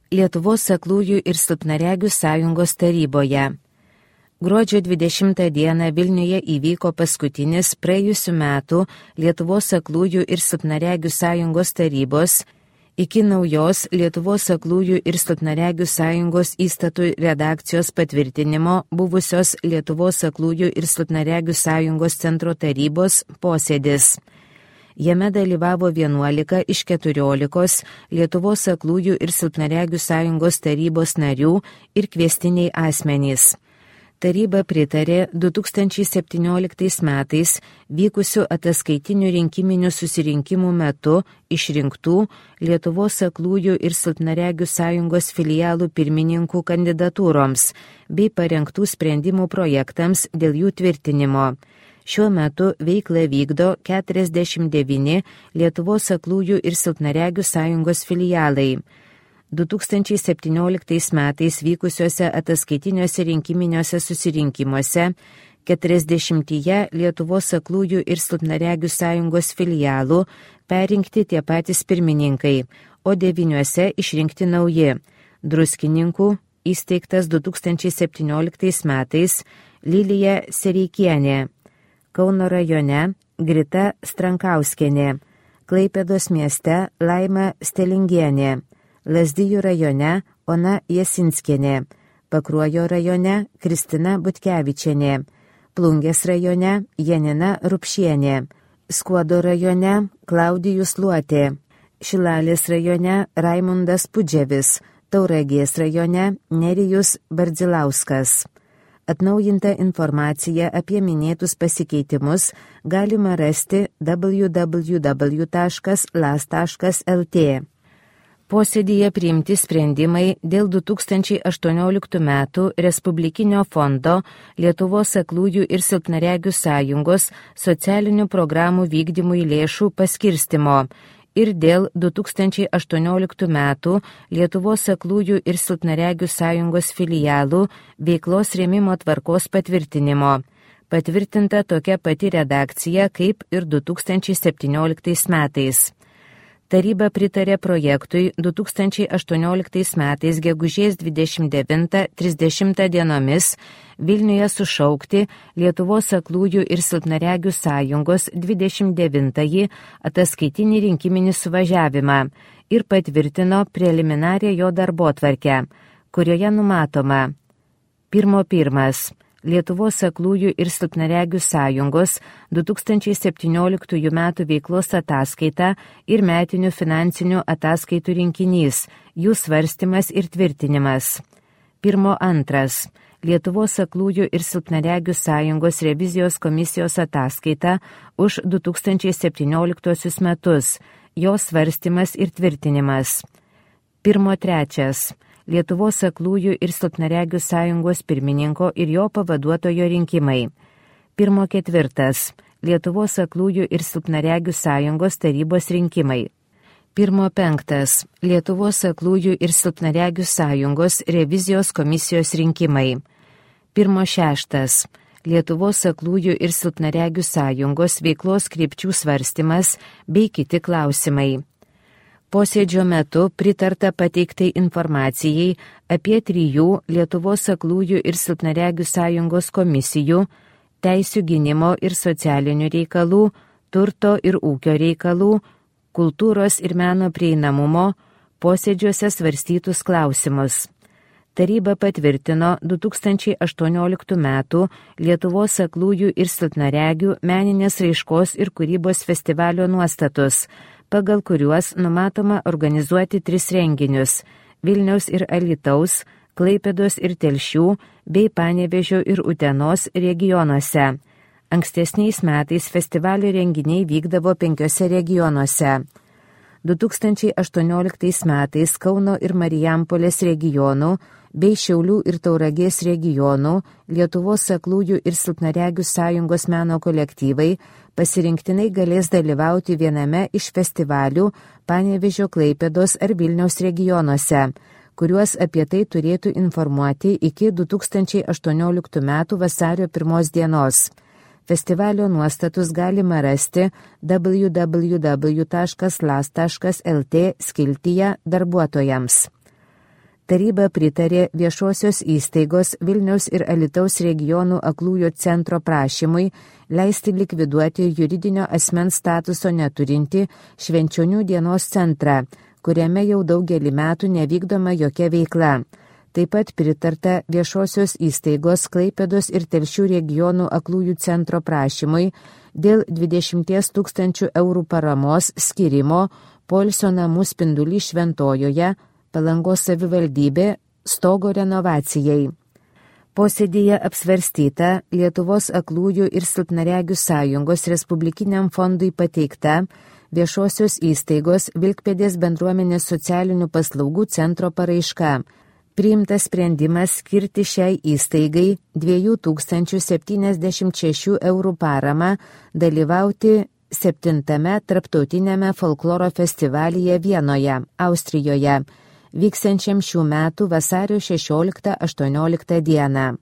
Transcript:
Lietuvos aklųjų ir silpnaregių sąjungos taryboje. Gruodžio 20 dieną Vilniuje įvyko paskutinis praėjusių metų Lietuvos aklųjų ir silpnaregių sąjungos tarybos iki naujos Lietuvos aklųjų ir silpnaregių sąjungos įstatų redakcijos patvirtinimo buvusios Lietuvos aklųjų ir silpnaregių sąjungos centro tarybos posėdis. Jame dalyvavo 11 iš 14 Lietuvos aklųjų ir silpnaregių sąjungos tarybos narių ir kviestiniai asmenys. Taryba pritarė 2017 metais vykusių ataskaitinių rinkiminių susirinkimų metu išrinktų Lietuvos aklųjų ir silpnaregių sąjungos filialų pirmininkų kandidatūroms bei parengtų sprendimų projektams dėl jų tvirtinimo. Šiuo metu veiklą vykdo 49 Lietuvos aklųjų ir silpnaregių sąjungos filialai. 2017 metais vykusiuose ataskaitiniuose rinkiminiuose susirinkimuose 40 Lietuvos aklųjų ir silpnaregių sąjungos filialų perrinkti tie patys pirmininkai, o 9 išrinkti nauji. Druskininkų įsteigtas 2017 metais Lilija Sereikienė, Kauno rajone Grita Strankauskienė, Klaipėdos mieste Laima Stelingienė, Lazdijų rajone Ona Jasinskienė, Pakruojo rajone Kristina Butkevičienė, Plungės rajone Janina Rupšienė, Skuodo rajone Klaudijus Luotė, Šilalės rajone Raimundas Pudževis, Tauragės rajone Nerijus Bardzilauskas. Atnaujintą informaciją apie minėtus pasikeitimus galima rasti www.las.lt. Posėdyje priimti sprendimai dėl 2018 metų Respublikinio fondo Lietuvos aklųjų ir silpnaregių sąjungos socialinių programų vykdymui lėšų paskirstimo ir dėl 2018 metų Lietuvos aklųjų ir silpnaregių sąjungos filialų veiklos rėmimo tvarkos patvirtinimo. Patvirtinta tokia pati redakcija kaip ir 2017 metais. Taryba pritarė projektui 2018 metais gegužės 29-30 dienomis Vilniuje sušaukti Lietuvos aklųjų ir silpnaregių sąjungos 29-ąjį ataskaitinį rinkiminį suvažiavimą ir patvirtino preliminarią jo darbotvarkę, kurioje numatoma 1. Lietuvos aklųjų ir silpnaregių sąjungos 2017 metų veiklos ataskaita ir metinių finansinių ataskaitų rinkinys, jų svarstymas ir tvirtinimas. 1.2. Lietuvos aklųjų ir silpnaregių sąjungos revizijos komisijos ataskaita už 2017 metus, jos svarstymas ir tvirtinimas. 1.3. Lietuvos aklųjų ir silpnaregių sąjungos pirmininko ir jo pavaduotojo rinkimai. 1.4. Lietuvos aklųjų ir silpnaregių sąjungos tarybos rinkimai. 1.5. Lietuvos aklųjų ir silpnaregių sąjungos revizijos komisijos rinkimai. 1.6. Lietuvos aklųjų ir silpnaregių sąjungos veiklos krypčių svarstymas bei kiti klausimai. Posėdžio metu pritarta pateiktai informacijai apie 3 Lietuvos aklųjų ir silpnaregių sąjungos komisijų, teisių gynimo ir socialinių reikalų, turto ir ūkio reikalų, kultūros ir meno prieinamumo posėdžiuose svarstytus klausimus. Taryba patvirtino 2018 metų Lietuvos aklųjų ir silpnaregių meninės raiškos ir kūrybos festivalio nuostatus, pagal kuriuos numatoma organizuoti 3 renginius – Vilniaus ir Alytaus, Klaipėdos ir Telšių bei Panevėžio ir Utenos regionuose. Ankstesniais metais festivalio renginiai vykdavo 5 regionuose. 2018 metais Kauno ir Marijampolės regionų bei Šiaulių ir Tauragės regionų Lietuvos aklųjų ir silpnaregių sąjungos meno kolektyvai pasirinktinai galės dalyvauti viename iš festivalių Panevėžio, Klaipėdos ar Vilniaus regionuose, kuriuos apie tai turėtų informuoti iki 2018 metų vasario 1 dienos. Festivalio nuostatus galima rasti www.las.lt skiltyje darbuotojams. Taryba pritarė viešosios įstaigos Vilniaus ir Alytaus regionų aklųjų centro prašymui leisti likviduoti juridinio asmens statuso neturinti Švenčionių dienos centrą, kuriame jau daugelį metų nevykdoma jokia veikla. Taip pat pritarta viešosios įstaigos Klaipėdos ir Telšių regionų aklųjų centro prašymui dėl 20 000 eurų paramos skirimo poilsio namų Spindulys Šventojoje, Palangos savivaldybė, stogo renovacijai. Posėdyje apsvarstyta Lietuvos aklųjų ir silpnaregių sąjungos Respublikiniam fondui pateikta viešosios įstaigos Vilkpėdės bendruomenės socialinių paslaugų centro paraiška. Priimtas sprendimas skirti šiai įstaigai 2076 eurų paramą dalyvauti 7. tarptautiniame folkloro festivalyje Vienoje, Austrijoje, vyksiančiam šių metų vasario 16-18 dieną.